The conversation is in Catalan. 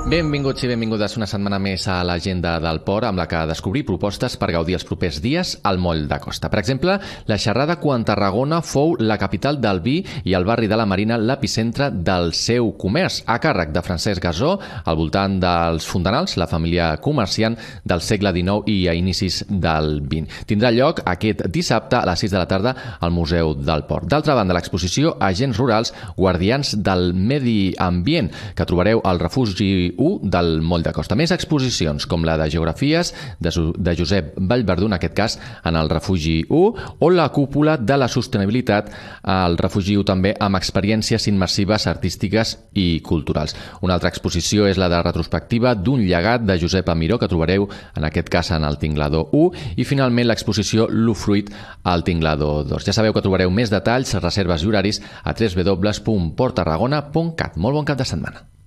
Benvinguts i benvingudes una setmana més a l'agenda del port, amb la que descobrir propostes per gaudir els propers dies al moll de costa. Per exemple, la xerrada quan Tarragona fou la capital del vi i el barri de la Marina l'epicentre del seu comerç, a càrrec de Francesc Gasó, al voltant dels Fontanals, la família comerciant del segle XIX i a inicis del XX. Tindrà lloc aquest dissabte a les 6 de la tarda al Museu del Port. D'altra banda, l'exposició Agents Rurals, Guardians del Medi Ambient, que trobareu al refugi 1 del moll de costa. Més exposicions, com la de Geografies de Josep Vallverdú, en aquest cas en el refugi 1, o la cúpula de la sostenibilitat al refugi 1 també, amb experiències immersives artístiques i culturals. Una altra exposició és la de retrospectiva d'un llegat de Josep Amiró, que trobareu en aquest cas en el Tinglador 1, i finalment l'exposició L'Ufruit al Tinglador 2. Ja sabeu que trobareu més detalls, reserves i horaris a www.porttarragona.cat. Molt bon cap de setmana.